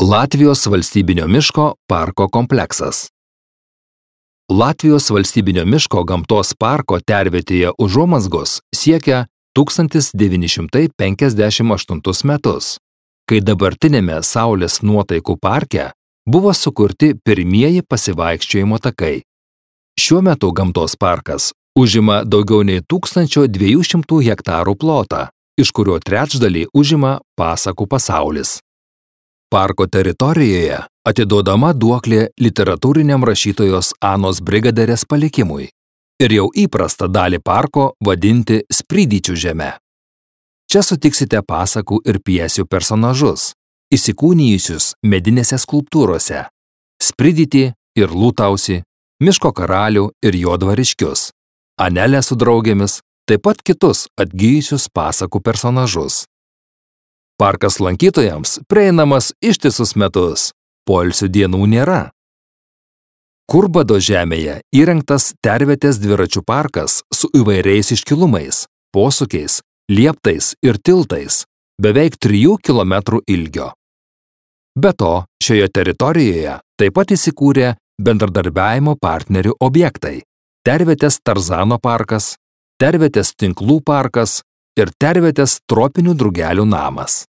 Latvijos valstybinio miško parko kompleksas. Latvijos valstybinio miško gamtos parko tervietėje užuomazgos siekia 1958 metus, kai dabartinėme Saulės nuotaikų parke buvo sukurti pirmieji pasivaikščiojimo takai. Šiuo metu gamtos parkas užima daugiau nei 1200 hektarų plotą, iš kurio trečdalį užima pasakų pasaulis. Parko teritorijoje atiduodama duoklė literatūriniam rašytojos Anos Brigaderės palikimui ir jau įprasta dalį parko vadinti Spridyčių žeme. Čia sutiksite pasakų ir pjesių personažus, įsikūnijusius medinėse skulptūrose, Spridytį ir Lūtausį, Miško karalių ir jo dvariškius, Anelę su draugėmis, taip pat kitus atgijusius pasakų personažus. Parkas lankytojams prieinamas ištisus metus, poilsio dienų nėra. Kurbado žemėje įrengtas tervietės dviračių parkas su įvairiais iškilumais, posūkiais, lieptais ir tiltais, beveik 3 km ilgio. Be to, šioje teritorijoje taip pat įsikūrė bendradarbiavimo partnerių objektai – tervietės Tarzano parkas, tervietės tinklų parkas ir tervietės tropinių drugelių namas.